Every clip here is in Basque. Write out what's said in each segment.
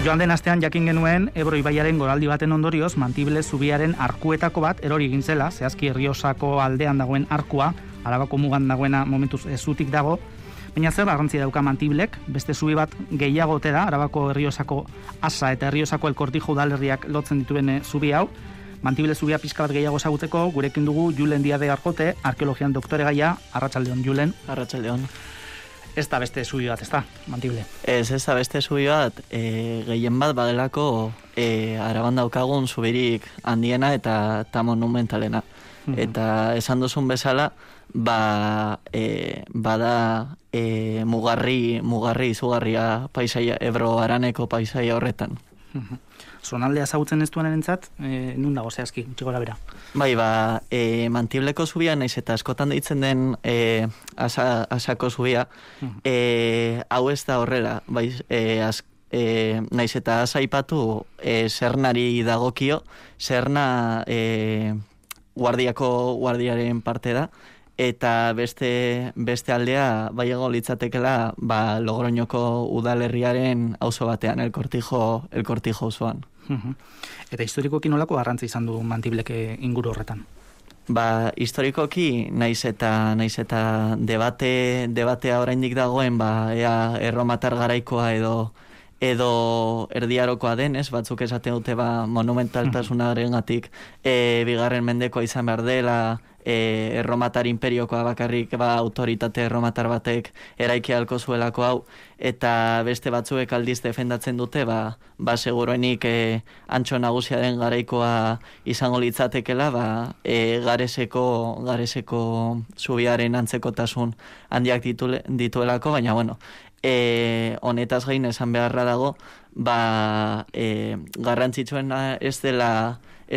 Joan den astean jakin genuen Ebro ibaiaren goraldi baten ondorioz Mantible zubiaren arkuetako bat erori egin zela, zehazki Errioxako aldean dagoen arkua, Arabako mugan dagoena momentuz zutik dago, baina zer garrantzi dauka Mantiblek, beste zubi bat gehiago ote da, Arabako Errioxako Asa eta Errioxako El Cortijo udalerriak lotzen dituen zubi hau. Mantible zubia pixka bat gehiago ezagutzeko, gurekin dugu Julen Diade Arjote, arkeologian doktoregaia. Arratsaldeon, Julen. Arratsaldeon. Ez da beste zubi bat, ez da, Mantible? Ez da beste zubi bat, gehien bat badelako Araban daukagun zubirik handiena eta monumentalena. Eta esan duzun bezala, bada mugarri izugarria paisaia, Ebro Araneko paisaia horretan. Zonaldea ezagutzen ez duenarentzat, nun dago zehazki, gutxi gora bera? Bai, Mantibleko zubia, naiz eta askotan deitzen den Asako zubia, hau ez da horrela, bai, naiz eta Asa aipatu Sernari dagokio, Serna guardiaren parte da, eta beste aldea baiago litzatekela Logroñoko udalerriaren auzo batean, El Cortijo auzoan. Eta historikoki nolako garrantzi izan du Mantiblek inguru horretan? Historikoki naiz eta debatea oraindik dagoen, ea erromatar garaikoa edo erdiarokoa den, batzuk esaten dute monumentaltasunarengatik bigarren mendekoa izan behar dela, erromatar imperiokoa bakarrik autoritate erromatar batek eraiki ahalko zuelako hau, eta beste batzuek aldiz defendatzen dute, seguruenik Antxo Nagusiaren garaikoa izango litzatekela, Gareseko zubiaren antzekotasun handiak dituelako, baina honetaz gain esan beharra dago, garrantzitsuena ez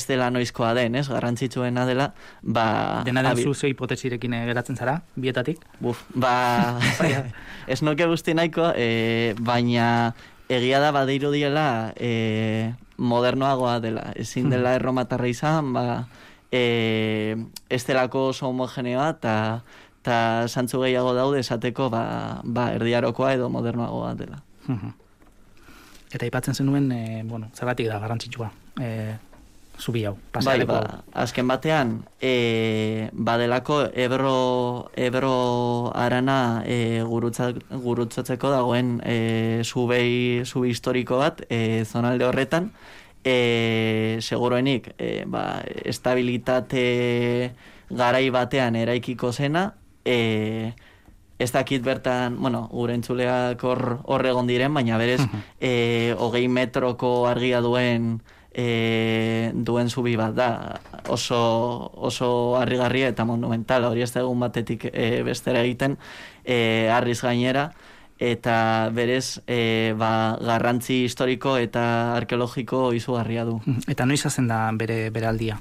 dela noizkoa den, garrantzitsuena dela, dena den zuze hipotesirekin geratzen zara, bietatik? Ez nuke guzti nahiko, baina egia da badirudiela modernoagoa dela, ezin dela erromatarra izan, ez delako oso homogeneoa, eta zantzu gehiago daude esateko erdiarokoa edo modernoagoa dela. Eta aipatzen zenuen, zergatik da garrantzitsua zubi hau? Azken batean, badelako Ebro Arana gurutzatzeko dagoen zubi historiko bat, zonalde horretan, seguruenik, estabilitate garai batean eraikiko zena, ez dakit bertan, gure entzuleak hor egon diren, baina berez, 20 metroko argia duen zubi bat da, oso harrigarria eta monumental, hori ez da egun batetik bestera egiten, harriz gainera, eta berez garrantzi historiko eta arkeologiko izugarria du. Eta noiz hazen da bere aldia?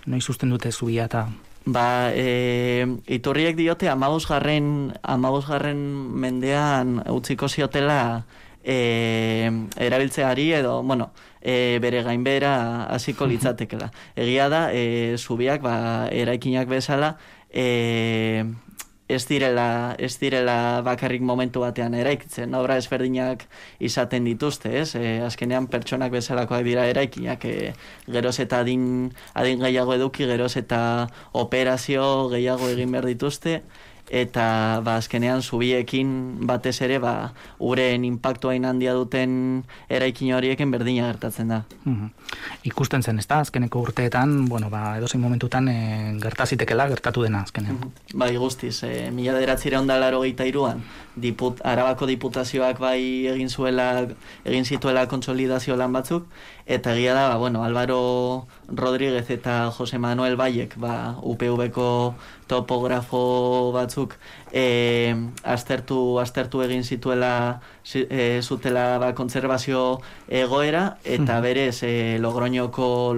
Noiz usten dute zubia eta... Iturriek diote 15. mendean utziko ziotela erabiltzeari edo, bere gainbehera hasiko litzatekela. Egia da, zubiak eraikinak bezala ez direla bakarrik momentu batean eraikitzen, obra ezberdinak izaten dituzte, azkenean pertsonak bezalakoak dira eraikinak, geroz eta adin gehiago eduki, geroz eta operazio gehiago egin behar dituzte, eta azkenean zubiekin batez ere uren inpaktua handia duten eraikin horieken berdina gertatzen da. Ikusten zen, ez da, azkeneko urteetan, edozein momentutan gertazitekela, gertatu dena azkenean. Bai, guztiz, 1983an Arabako diputazioak egin zituela kontsolidazio lan batzuk, eta egia da, Álvaro Rodríguez eta Jose Manuel Bayek, UPV-ko topografo batzuk aztertu egin zutela kontserbazio egoera, eta berez Logroñoko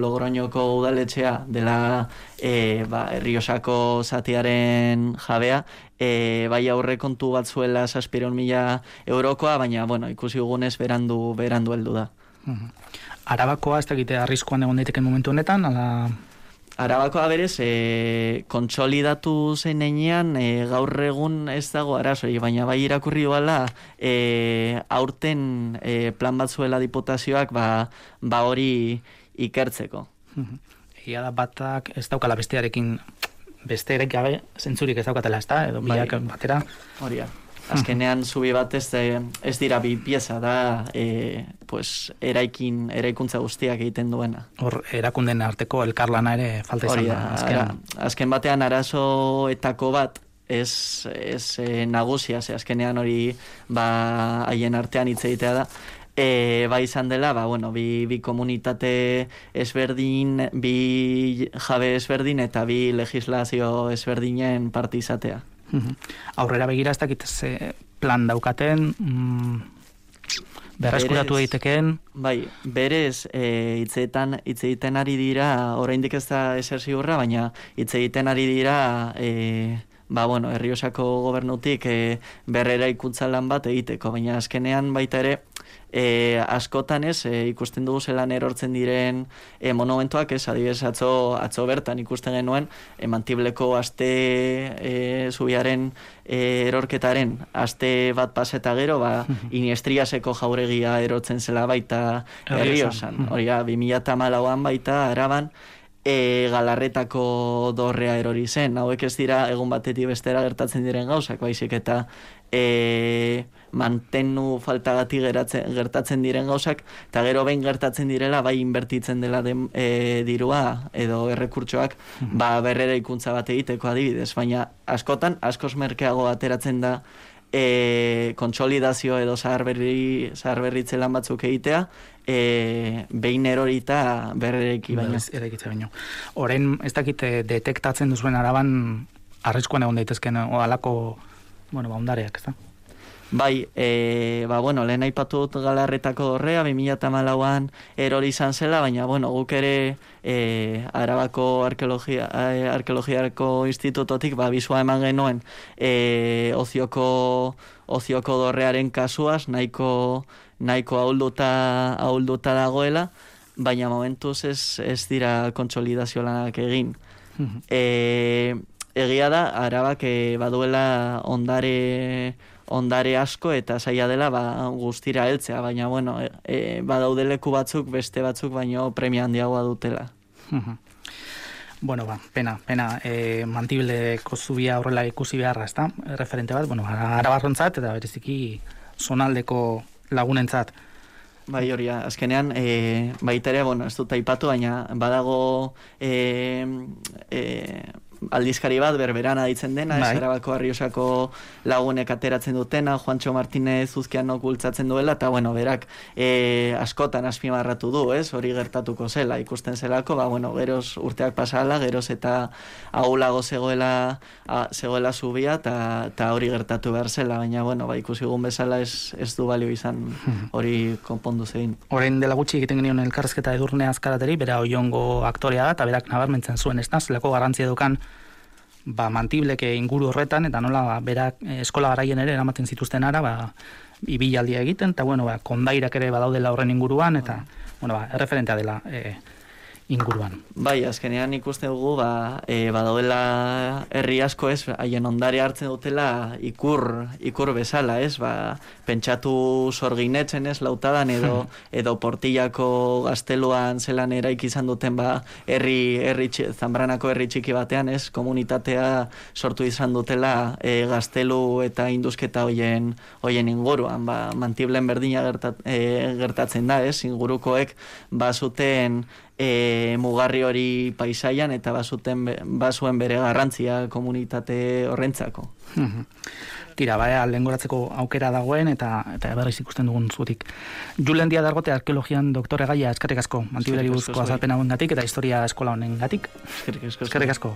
udaletxea dela Errioxako zatiaren jabea, aurrekontu bat zuela 700.000 eurokoa, baina ikusi dugunez berandu heldu da. Arabakoa ez dakite arriskuan egon daiteken momentu honetan, ala Arabakoa berez, kontsolidatu zen enean, gaur egun ez dago arazoi, baina bai irakurri duela, aurten plan bat zuela diputazioak ba hori ikertzeko. Egia da batak ez daukala bestearekin, bestearek gabe zentzurik ez daukatela, ez da? Edo biak batera. Horia. Azkenean zubi bat ez dira bi pieza da, pues, eraikuntza guztiak egiten duena. Hor, erakunden arteko elkarlana ere falta izan da. Azken batean arazoetako bat, ez nagusia, azkenean hori haien artean hitz egitea da, izan dela, bi komunitate ezberdin, bi jabe ezberdin eta bi legislazio ezberdinen parte izatea. Aurrera begira ez dakit plan daukaten, berreskuratu egiteken. Bai, berez hitz egiten ari dira, oraindik ez da ezer ziurra, baina hitz egiten ari dira Errioxako gobernutik berreraikuntza lan bat egiteko, baina azkenean baita ere askotan ikusten dugu zelan erortzen diren monumentuak, adibidez atzo bertan ikusten genuen Mantibleko aste zubiaren erorketaren aste bat paseta gero, Iniestriaseko jauregia erortzen zela baita Errioxan. Hori 2014an baita Araban Galarretako dorrea erori zen. Hauek ez dira egun batetik bestera gertatzen diren gauzak, baizik eta mantenu faltagatik gertatzen diren gauzak, eta gero behin gertatzen direla, bai inbertitzen dela dirua edo errekurtsoak berrera ikuntza bat egiteko adibidez, baina askotan, askoz merkeago ateratzen da kontsolidazio edo zaharberritze lan batzuk egitea, behin erorita berrereki baino. Orain, ez dakit detektatzen duzuen Araban arriskuan egon daitezken alako ondareak, ez da? Bai, lehen aipatu dut Galarretako dorrea, 2014an erori izan zela, baina, guk ere Arabako Arkeologiako Institutotik bisua eman genuen ozioko dorrearen kasuaz, nahiko ahulduta dagoela, baina momentuz ez dira kontsolidazio lanak egin. Egia da, Arabak baduela ondare asko eta zaila dela guztira heltzea, baina badaude leku batzuk, beste batzuk, baino premia handiagoa dutela. Pena. Mantibleko zubia horrela ikusi beharra, ez da? Referente bat, Arabarrontzat eta bereziki zonaldeko lagunentzat. Bai, hori, azkenean, baita ere, ez dut aipatu, baina badago aldizkari bat berberan aditzen dena, ez Arabako Errioxako lagunek ateratzen dutena, Juancho Martínez Uzkianok bultzatzen duela, eta berak askotan azpimarratu du, hori gertatuko zela, ikusten zelako, geroz urteak pasala, geroz eta ahulago zegoela zubia, eta hori gertatu behar zela, baina ikusi egun bezala ez du balio izan hori konpondu zein. Orain dela gutxi egiten genion elkarrezketa Edurne Azkarateri, bera Oiongo aktorea da, eta berak nabarmentzen zuen, ez da, zelako garrantzia edukan Mantibleke inguru horretan, eta nola berak eskola garaien ere eramaten zituzten ara, ibilaldia egiten, eta kondairak ere badaudela horren inguruan, eta erreferentea dela inguruan. Bai, azkenean ikusten dugu, badaudela herri asko haien ondare hartzen dutela ikur bezala, pentsatu Sorginetzen Lautadan edo Portillako gazteluan zelan eraiki izan duten Zambranako herri txiki batean, komunitatea sortu izan dutela gaztelu eta induzketa hoien inguruan, Mantiblen berdina gertatzen da, ingurukoek bazuten mugarri hori paisaian eta bazuen bere garrantzia komunitate horrentzako. Tira, lehengoratzeko aukera dagoen eta berriz ikusten dugun zutik. Julen Díaz Dargote arkeologian doktore gaia, eskerrik asko, Mantibleri buruzko azalpen hauengatik eta historia eskola honengatik. Eskerrik asko. Eskerrik asko.